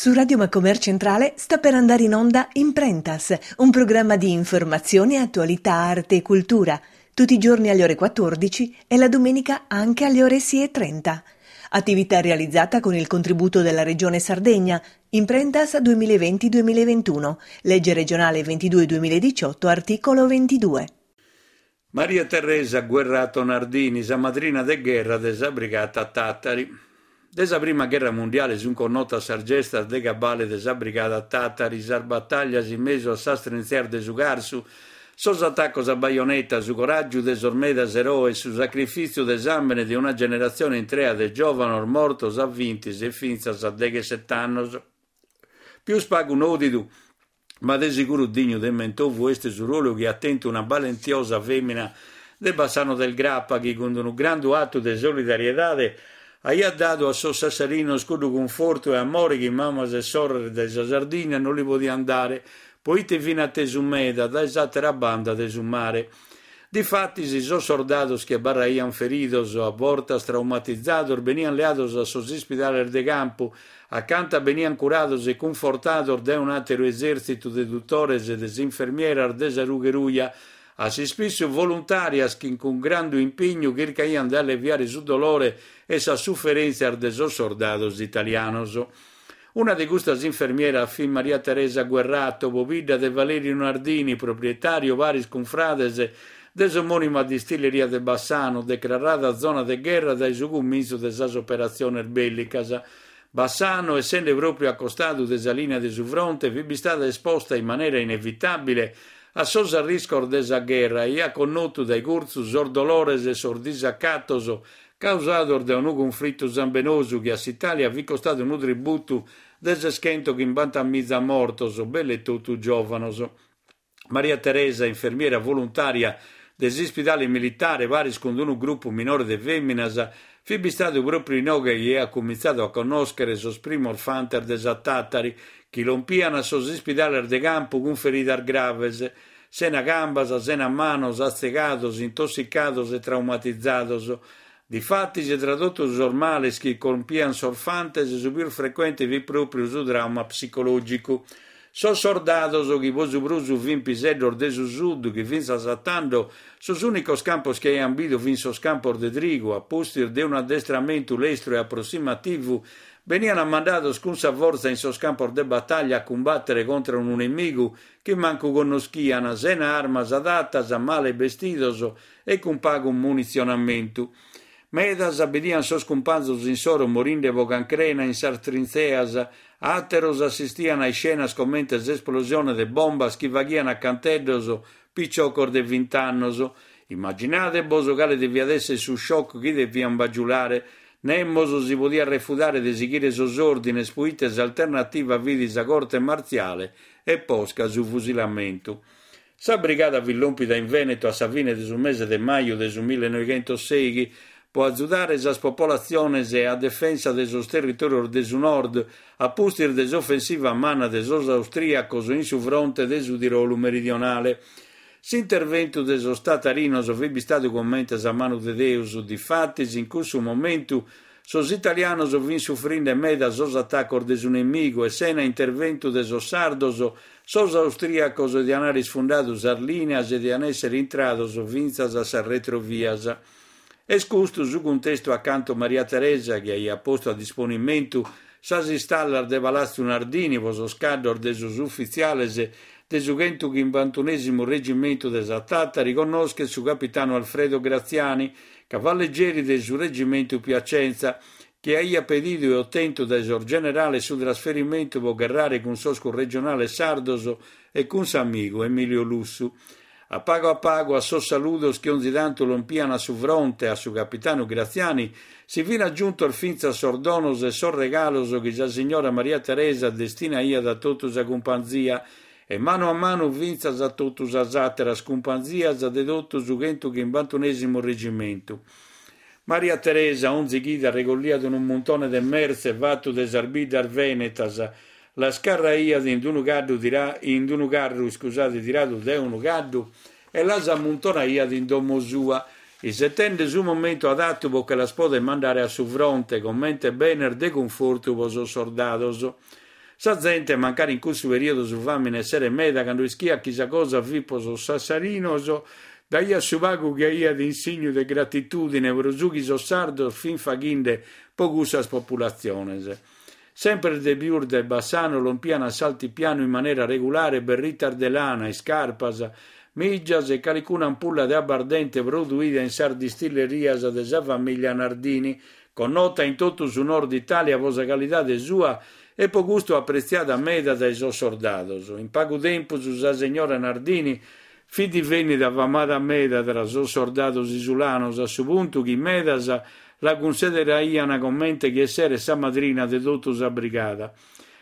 Su Radio Macomer Centrale sta per andare in onda Imprentas, un programma di informazione, attualità, arte e cultura, tutti i giorni alle ore 14 e la domenica anche alle ore 6.30. Attività realizzata con il contributo della Regione Sardegna, Imprentas 2020-2021, legge regionale 22-2018, articolo 22. Maria Teresa Guerrato Nardini, sa madrina de gherra de sa Brigata Tàtari. De sa prima gherra mundiale sunt connotas sas gestas de cabale de sa Brigada Tàtari, sas batàllias in mesu a sas trintzeas de su Carsu, sos atacos a baioneta, su coràgiu de sos medas eroes, su sacrifìtziu de sàmbene de una generatzione intrea de giòvanos mortos a bintis e fintzas a degheset'annos. Pius pagu nòdidu Ma de siguru dignu de mentovu est su ruolu chi at tentu una balentiosa fèmina de Bassano del Grappa chi cun unu grandu atu de solidariedade aiat dadu a sos sassarinos cuddu cunfortu e amore chi mamas e sorres de sa Sardigna non li podiant dare poite fin atesu meda dae s'àtera banda de su mare. Difatis sos sordados chi abarraiant feridos, a bortas traumatizados, beniant leados a sos ispidales de campu, acanta beniant curados e cunfortados dae un'àteru esèrtzitu de dutores e de infermieras de sa Rughe Ruja, a s'ispissu voluntàrias chi cun grandu impignu chircaiant de alleviare su dolore e sas suferèntzias de sos sordados italianos. Una de custas infermieras fit Maria Teresa Guerrato, pobidda de Valerio Nardini, proprietàriu paris cun frades de s'omònima distilleria de Bassano, decrarada zona de gherra dae su cumintzu de sas operatziones bèllicas. Bassano, essende pròpriu a costadu de sa lìnia de su fronte, fit bistada esposta in manera inevitàbile a sos arriscos de sa gherra e aiat connotu dae curtzu sos dolores e sos disacatos causados dae unu cunflitu sambenosu chi a s'Itàlia fit costadu unu tributu de seschentochimbantamiza mortos, belle totu giòvanos. Maria Teresa, infermiera voluntària de s'ispidale militare, paris cun unu grupu minore de fèminas, fit bistadu pròpriu inoghe chi aiat cumintzadu a connòschere sos primos fantes de sa Tàtari, chi lompian a sos ispidales de campu cun feridas graves, sena cambas, sena manos, atzegados, intossicados e traumatizados. Difatis, tra totu sos males chi colpian sos fantes, su pius frecuente fit pròpriu su trauma psicològicu. Sos sordados, chi pro su prus fin piseddos de su sud, chi fintzas a tando sos ùnicos campos chi aian bidu fin sos campos de trigu, a pustis de unu addestramentu lestru e aprossimativu, benian mandados cun sa fortza in sos campos de batàllia a cumbàtere contra unu nemigu chi mancu connoschian, sena armas adatas, male bestidos e cun pagu munitzionamentu. Medas bidian sos cumpanzos insoro morinde pro cancrena in sas trintzeas, àteros assistian a iscenas comente s'esplosione de bombas chi faghian a canteddos piciocos de vint'annos. Immaginade-bos cale deviat esser su shock chi devian bagiulare. Nemos si podiat refudare de sighire sos òrdines poite s'alternativa fit sa corte martziale e posca su fusilamentu. Sa brigada fit lòmpida in Vèneto a sa fine de su mese de maju de su millenoighentossèighi pro azudare sas popolatziones a defensa de sos territòrios de su nord a pustis de s'ofensiva manna de sos austrìacos in su fronte de su Tirolu meridionale. S'interventu de sos tatarinos fit bistadu comente sa manu de Deus, difatis in cussu momentu Sos italianos fin sufrinde meda sos atacos de su nemigu e sena interventu de sos sardos, sos austriacos dian aer isfundadu sas lìneas e dian èssere intrados fintzas a sas retrovias. Est custu su cuntestu acantu Maria Teresa, chi aiat postu a disponimentu sas istallas de Palatzu Nardini pro sos caddos de sos ufitziales de su chentuchimbantunèsimu regimentu de sa Tàtari, connoschet su capitanu Alfredo Graziani, Cavalleggeri de su Regimentu Piacenza, chi aiat pedidu e otentu dae sos generales su trasferimentu pro gherrare cun sos curregionales sardos e cun s'amigu Emilio Lussu. A pagu a pagu, a sos saludos chi onzi tantu lompian a su fronte a su capitanu Graziani, si fin agiuntos fintzas sos donos e sos regalos chi sa signora Maria Teresa destinaiat a totu sa cumpanzia E manu a manu fintzas a totu sas àteras cumpanzias de totu su chentuchimbantunèsimu regimentu. Maria Teresa onzi chida regolliat unu muntone de mertze fatu de sas biddas vènetas, las carraiat in unu caddu tira in unu carru iscusade tiradu dae unu caddu e las ammuntonaiat in domo sua, isetende su momentu adatu pro che las poder mandare a su fronte comente benes de cunfortu pro sos sordados. Sa zente, mancari in cussu periodu su fàmine esseret meda, cando ischiat chi sa cosa fit pro sos sassarinos, daiat su pagu chi aiat in signu de gratitùdine pro su chi sos sardos fint faghinde pro cussas populatziones. Semper de pius dae Bassano lompian a s'altipianu in manera regulare berritas de lana, iscarpas, mìgias e calicuna ampulla de abbardente produida in sas distillerias de sa famìllia Nardini, connota in totu su nord Itàlia pro sa calidade sua e pro custu apretziada meda dae sos sordados. In pagu tempus sa segnora Nardini fit divennida famada meda tra sos sordados isulanos a su puntu chi medas la cunsideraian comente chi esseret sa madrina de totu sa brigada.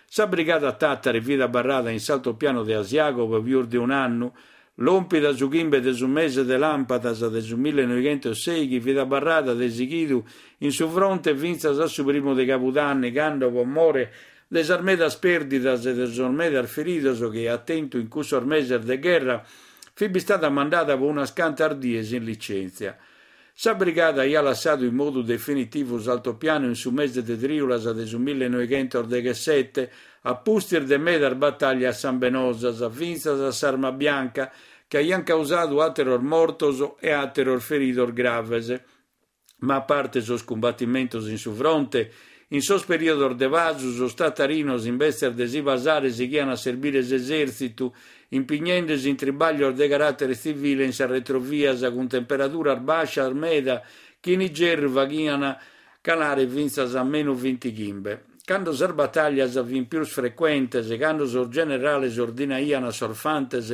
Sa brigada Tàtari fit abarrada in s'altopiano de Asiago pro pius de un'annu, Lòmpida su chimbe de su mese de làmpadas de su millenoighentosseighi fit abarrada de sighidu in su fronte fintzas a su primu de cabudanni cando pro more de sas medas pèrdidas e de sos medas feridos chi aiat tentu in cussos meses de gherra fit bistada mandada pro unas cantas dies in licèntzia. Sa brigada aiat lassadu in modu definitivu s'altopianu in su mese de trìulas de su millenoighentosdeghessete, a pustis de medas batàllias sambenosas, fintzas a s'arma bianca, chi aiant causadu àteros mortos e àteros feridos graves. Ma a parte sos cumbatimentos in su fronte, in sos perìodos de pasu sos tatarinos imbetzes de si pasare sighiant a serbire s'esèrtzitu, impignende·si in tribàglios de caràtere tzivile in sas retrovias cun temperaduras bàscias meda chi in igerru faghiant calare fintzas a menu bintighimbe. Cando sas batàllias fint pius frecuentes, cando sos generales ordinaiant a sos fantes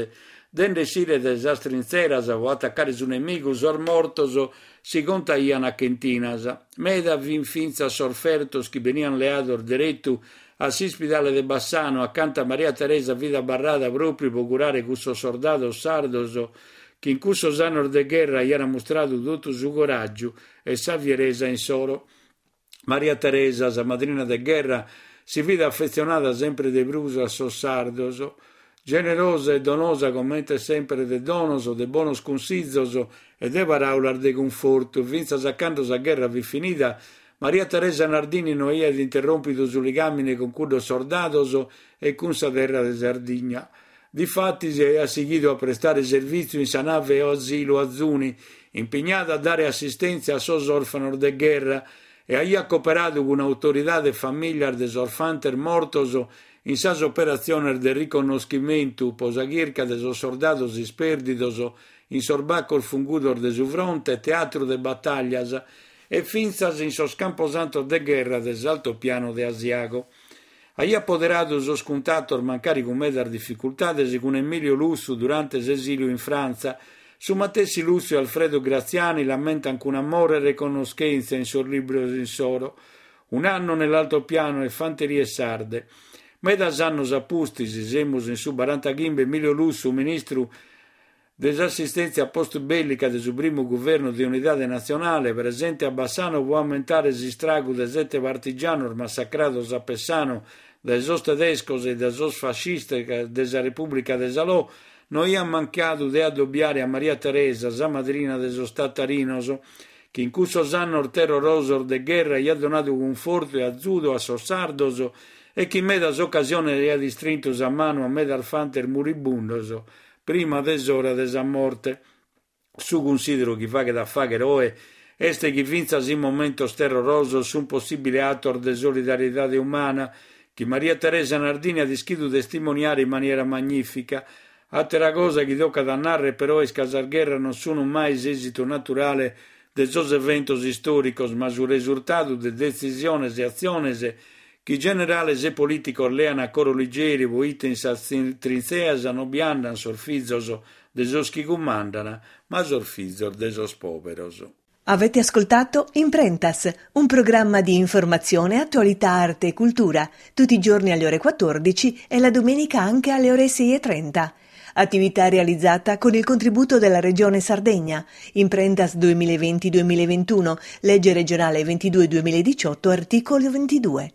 de nde essire dae sas trintzeras pro atacare su nemigu, sos mortos si contaiant a chentinas. Meda fint fintzas sos fertos chi beniant leados deretu a s'ispidale de Bassano, acanta Maria Teresa fit abarrada pròpiu pro curare cussos sordados sardos chi in cussos annos de gherra aiant mustradu totu su coràgiu e sa fieresa insoro. Maria Teresa, sa madrina de gherra, si fit afetzionada sempre de prus a sos sardos. Generosa e donosa comente sempre de donos, de bonos cunsizos e de paràulas de cunfortu, fintzas a cando sa gherra fit finida, Maria Teresa Nardini no aiat interròmpidu su ligàmine cun cuddos sordados e cun sa terra de Sardigna. Difatis aiat sighidu a prestare servìtziu in sa nave Asilu Azuni, impignada a dare assistèntzia a sos òrfanos de gherra, e aiat cooperadu cun autoridade e famìllias de sos fantes mortos in sas operatziones de riconnoschimentu pro sa chirca de sos sordados ispèrdidos in sos bacos fungudos de su fronte, teatru de batàllias, e fintzas in sos camposantos de gherra de s'altopiano de Asiago. Aiat poderadu sos cuntatos, mancari cun medas dificultades, cun Emilio Lussu durante s'esìliu in Frantza. Su matessi Lussu e Alfredo Graziani l'ammentan cun amore e reconnoschèntzia in sos libros insoro. Un anno nell'altopiano e Fanterie sarde. Medas annos a pustis, semus in su barantachimbe, Emilio Lussu, ministru de s'assistèntzia post-bèllica de su primu guvernu de unidade natzionale, presente a Bassano pro ammentare s'istragu de sete partigianos massacrados a Pessano dae sos tedescos e dae sos fascistas de sa Repùblica de Salò, no aiat mancadu de addobiare a Maria Teresa, sa madrina de sos tatarinos, chi in cussos annos terrorosos de gherra aiat donadu cunfortu e azudu a sos sardos e chi in medas ocasiones aiat istrintu sa manu a medas fantes muribundos Prima de s'ora de sa morte. Su cunsideru chi faghet a fàghere oe est chi fintzas in momentos terrorosos sunt possìbiles atos de solidariedade umana chi Maria Teresa Nardini at ischidu testimoniare in maniera magnìfica. Àtera cosa chi tocat a nàrrere però est ca sas gherras non sunt mai s'èsitu naturale de sos eventos istòricos ma su resurtadu de detzisiones e atziones chi generales e polìticos lean a coro ligeri poite in sas trintzeas non bi andan sos fizos de sos chi cumandan, ma sos fizos de sos pòberos. Avete ascoltato Imprentas, un programma di informazione, attualità, arte e cultura, tutti i giorni alle ore 14 e la domenica anche alle ore 6.30. Attività realizzata con il contributo della Regione Sardegna. Imprentas 2020-2021, legge regionale 22 2018, articolo 22.